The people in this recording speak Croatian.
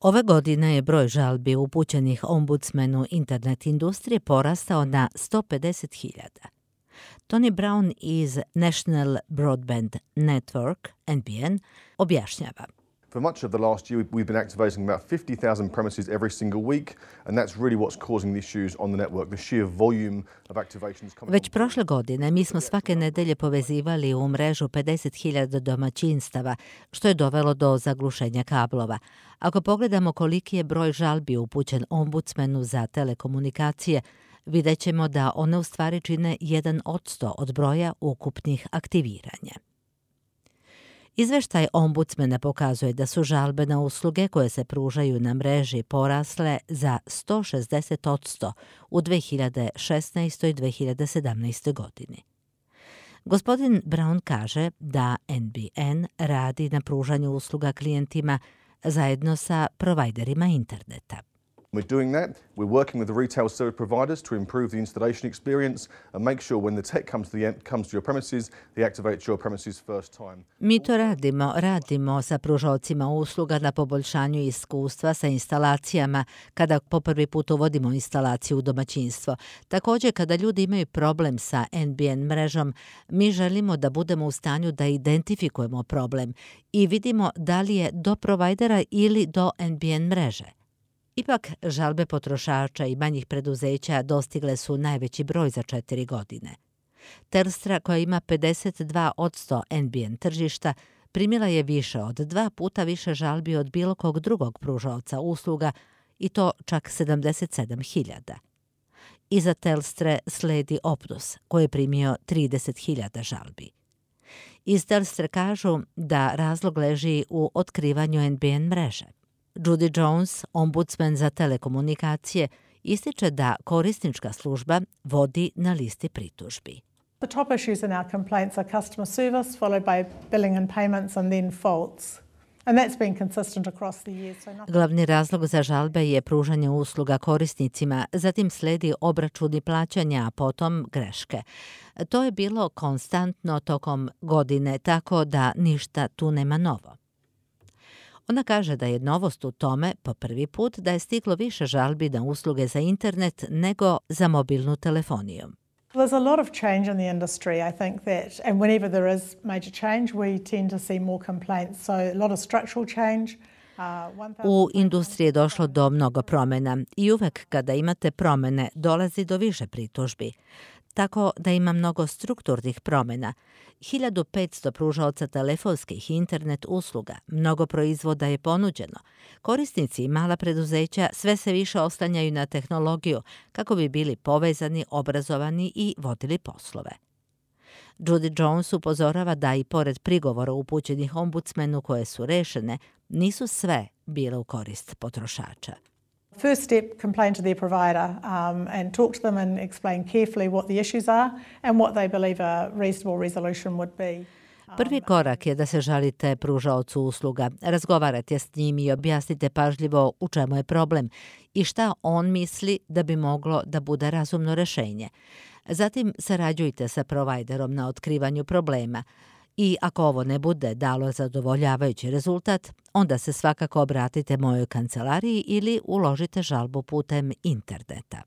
Ove godine je broj žalbi upućenih ombudsmenu internet industrije porastao na 150.000. Tony Brown iz National Broadband Network, NBN, objašnjava. For much of the last year, we've been activating about 50,000 premises every single week, and that's really what's causing the issues on the network, the sheer volume of activations coming. Već prošle godine mi smo svake nedelje povezivali u mrežu 50.000 domaćinstava, što je dovelo do zaglušenja kablova. Ako pogledamo koliki je broj žalbi upućen ombudsmenu za telekomunikacije, vidjet ćemo da one u stvari čine 1% od broja ukupnih aktiviranja. Izveštaj ombudsmena pokazuje da su žalbe na usluge koje se pružaju na mreži porasle za 160% u 2016. i 2017. godini. Gospodin Brown kaže da NBN radi na pružanju usluga klijentima zajedno sa provajderima interneta. We're doing that. We're working with the retail service providers to improve the installation experience and make sure when the tech comes to your premises, they activate your premises first time. Mi to radimo sa pružaocima usluga na poboljšanju iskustva sa instalacijama kada po prvi put uvodimo instalaciju u domaćinstvo. Također, kada ljudi imaju problem sa NBN mrežom, mi želimo da budemo u stanju da identifikujemo problem i vidimo da li je do provajdera ili do NBN mreže. Ipak, žalbe potrošača i manjih preduzeća dostigle su najveći broj za 4 godine. Telstra, koja ima 52% NBN tržišta, primila je više od 2 puta više žalbi od bilo kog drugog pružaoca usluga, i to čak 77.000. Iza Telstre sledi Optus, koji je primio 30.000 žalbi. Iz Telstre kažu da razlog leži u otkrivanju NBN mreže. Judy Jones, ombudsman za telekomunikacije, ističe da korisnička služba vodi na listi pritužbi. The top issues in our complaints are customer service, followed by billing and payments, and then faults. And that's been consistent across the years. Glavni razlog za žalbe je pružanje usluga korisnicima, zatim sledi obračuni plaćanja, a potom greške. To je bilo konstantno tokom godine, tako da ništa tu nema novo. Ona kaže da je novost u tome po prvi put da je stiglo više žalbi na usluge za internet nego za mobilnu telefoniju. There's a lot of change in the industry, I think that, and whenever there is major change, we tend to see more complaints. So a lot of structural change. U industriji je došlo do mnogo promjena i uvek kada imate promjene dolazi do više pritužbi. Tako da ima mnogo strukturnih promjena. 1500 pružaoca telefonskih i internet usluga, mnogo proizvoda je ponuđeno. Korisnici i mala preduzeća sve se više oslanjaju na tehnologiju kako bi bili povezani, obrazovani i vodili poslove. Judy Jones upozorava da i pored prigovora upućenih ombudsmenu koje su rešene, nisu sve bile u korist potrošača. First step, complain to their provider and talk to them and explain carefully what the issues are and what they believe a reasonable resolution would be. Prvi korak je da se žalite pružaocu usluga, razgovarate s njim i objasnite pažljivo u čemu je problem i šta on misli da bi moglo da bude razumno rešenje. Zatim sarađujte sa provajderom na otkrivanju problema. I ako ovo ne bude dalo zadovoljavajući rezultat, onda se svakako obratite mojoj kancelariji ili uložite žalbu putem interneta.